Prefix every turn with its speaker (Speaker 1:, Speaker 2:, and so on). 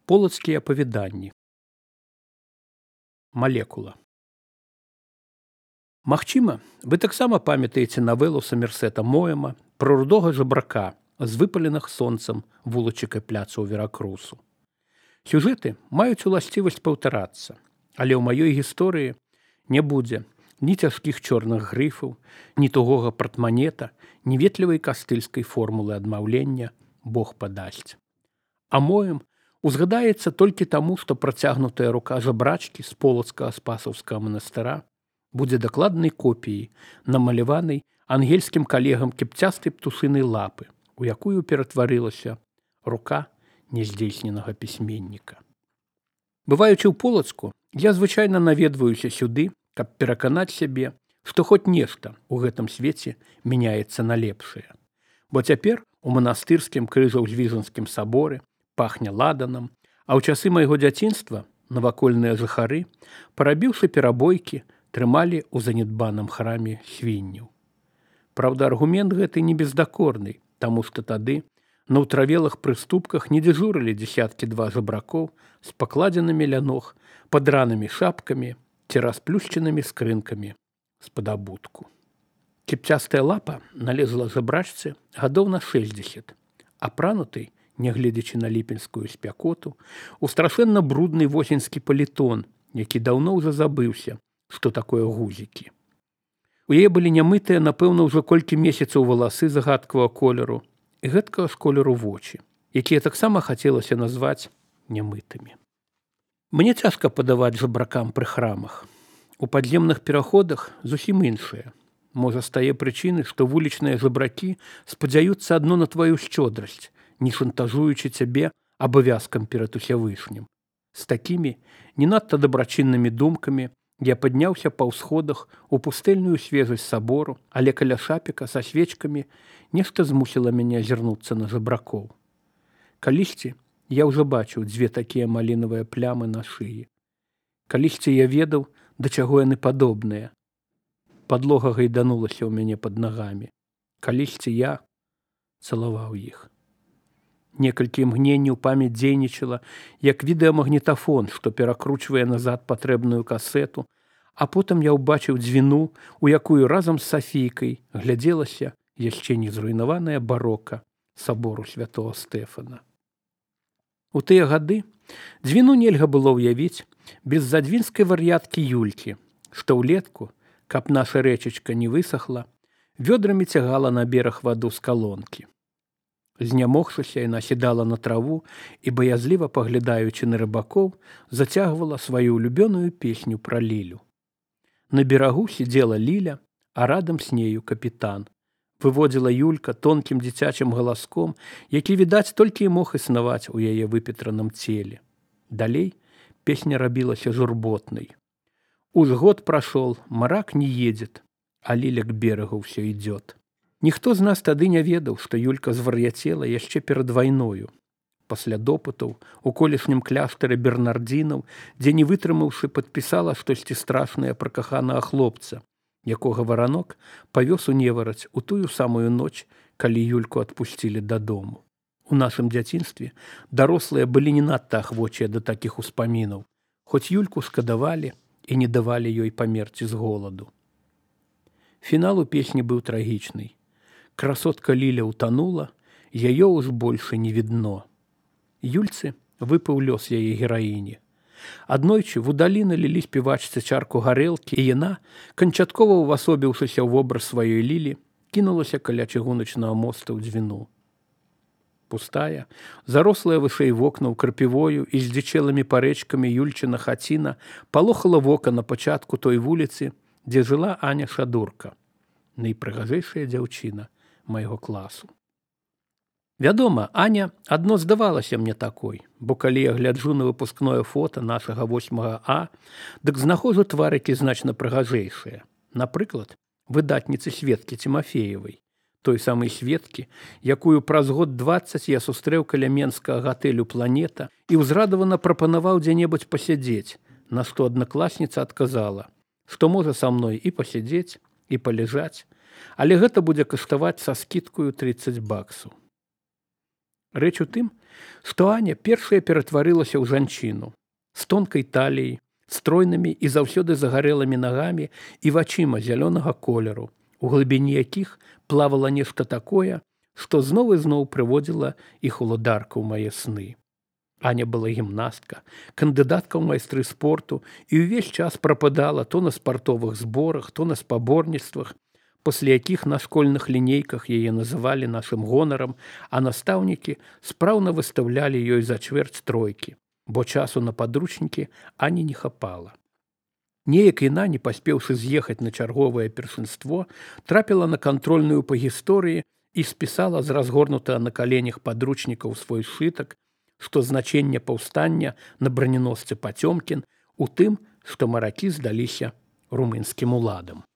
Speaker 1: Полацкія апавяданні. Малекула. Магчыма, вы таксама памятаеце навелу Самерсета Моэма пра рудога жабрака з выпаленых сонцам вулачык і пляцу ў Веракрусу. Сюжэты маюць уласцівасць паўтарацца, але ў маёй гісторыі не будзе ні цяжкіх чорных грыфаў, ні тугога партманета, ні ветлівай кастыльскай формулы адмаўлення «Бог падасць». А Моэм узгадаецца толькі таму, што працягнутая рука жабрачкі з полацкага спасаўскага манастыра будзе дакладнай копіяй, намаляванай ангельскім калегам кіпцястай птушынай лапы, у якую ператварылася рука няздзейсненага пісьменніка. Бываючы ў Полацку, я звычайна наведваюся сюды, каб пераканаць сябе, што хоць нешта ў гэтым свеце мяняецца на лепшае. Бо цяпер у манастырскім крыжаўзвіжанскім саборы пахне ладанам, а ў часы майго дзяцінства навакольныя жыхары, парабіўшы перабойкі, трымалі ў занядбаным храме свінняў. Праўда, аргумент гэты не бездакорны, таму што тады на ўтравелых прыступках не дзяжурылі дзесяткі-два жабракоў з пакладзенымі ля ног, падранымі шапкамі ці расплюшчанымі скрынкамі з-пад абутку. Кіпцястая лапа налезла жабрачцы гадоў на 60, апранутай, нягледзячы на ліпеньскую спякоту, у страшэнна брудны восеньскі палітон, які даўно ўжо забыўся, што такое гузікі. У яе былі нямытыя, напэўна, ўжо колькі месяцаў валасы загадкавага колеру і гэткага ж колеру вочы, якія таксама хацелася назваць нямытымі. Мне цяжка падаваць жабракам пры храмах. У падземных пераходах зусім іншыя. Можа, з тае прычыны, што вулічныя жабракі спадзяюцца адно на тваю шчодрасць, не шантажуючы цябе абавязкам перад усявышнім. З такімі не надта дабрачыннымі думкамі я падняўся па ўсходах у пустэльную свежасць сабору, але каля шапіка са свечкамі нешта змусіла мяне азірнуцца на жабракоў. Калісьці я ўжо бачыў дзве такія малінавыя плямы на шыі. Калісьці я ведаў, да чаго яны падобныя. Падлога гайданулася ў мяне пад нагамі. Калісьці я цалаваў іх. Некалькі імгненняў памяць дзейнічала, як відэамагнітафон, што перакручвае назад патрэбную касету, а потым я ўбачыў дзвіну, у якую разам з Сафійкай глядзелася яшчэ не зруйнаваная барока сабору святого Стэфана. У тыя гады дзвіну нельга было ўявіць без задвінскай вар'яткі Юлькі, што ўлетку, каб наша рэчачка не высохла, вёдрамі цягала на бераг ваду з калонкі. Знямогшыся, яна сідала на траву і, баязліва паглядаючы на рыбакоў, зацягвала сваю улюбёную песню пра Лілю. На берагу сидзела Ліля, а радам з нею капітан. Выводзіла Юлька тонкім дзіцячым галаском, які, відаць, толькі і мог існаваць у яе выпетраным целе. Далей песня рабілася журботнай. Узгод прошел, мрак не едет, а Ліля к берегу все идет. Ніхто з нас тады не ведаў, што Юлька звар'яцела яшчэ перад вайною. Пасля допытаў у колішнім кляштары бернардзінаў, дзе не вытрымаўшы, падпісала штосьці страшнае пра каханага хлопца, якога варанок павёз у невараць у тую самую ноч, калі Юльку адпусцілі дадому. У нашым дзяцінстве дарослыя былі не надта ахвочыя да такіх успамінаў, хоць Юльку шкадавалі і не давалі ёй памерці з голаду. Фінал у песні быў трагічны. Красотка Ліля утонула, яе уж больше не видно. Юльцы выпаў лёс яе гераіні. Аднойчы вудалі налілі спевачцы чарку гарэлкі, і яна, канчаткова увасобіўшыся ў вобраз сваёй Лілі, кінулася каля чыгуначнага моста ў дзвіну. Пустая, зарослая вышэй вокнаў крапівою і здзічэлымі парэчкамі Юльчына хаціна палохала вока на пачатку той вуліцы, дзе жыла Аня Шадурка, найпрыгажэйшая дзяўчына майго класу. Вядома, Аня адно здавалася мне такой, бо калі я гляджу на выпускное фота нашага 8 А, дык знаходжу тварыкі значна прыгажэйшыя. Напрыклад, выдатніцы Светкі Цімафеевай, той самай Светкі, якую праз год 20 я сустрэў каля менскага гатэлю «Планета» і ўзрадавана прапанаваў дзе-небудзь пасядзець, на што аднакласніца адказала, што можа са мной і пасядзець, і палежаць, але гэта будзе каштаваць са скідкаю $30. Рэч у тым, што Аня першая ператварылася ў жанчыну з тонкай таліяй, стройнымі і заўсёды загарэлымі нагамі і вачыма зялёнага колеру, у глыбіні якіх плавала нешта такое, што зноў і зноў прыводзіла іх уладарка ў мае сны. Аня была гімнастка, кандыдатка ў майстры спорту і ўвесь час прападала то на спартовых зборах, то на спаборніцтвах, пасля якіх на школьных лінейках яе называлі нашым гонарам, а настаўнікі спраўна выстаўлялі ёй за чвэрць тройкі, бо часу на падручнікі Ані не хапала. Неяк яна, не паспеўшы з'ехаць на чарговае першынство, трапіла на кантрольную па гісторыі і спісала з разгорнутага на каленях падручнікаў свой сшытак, што значэнне паўстання на браняносцы Пацёмкін у тым, што маракі здаліся румынскім уладам.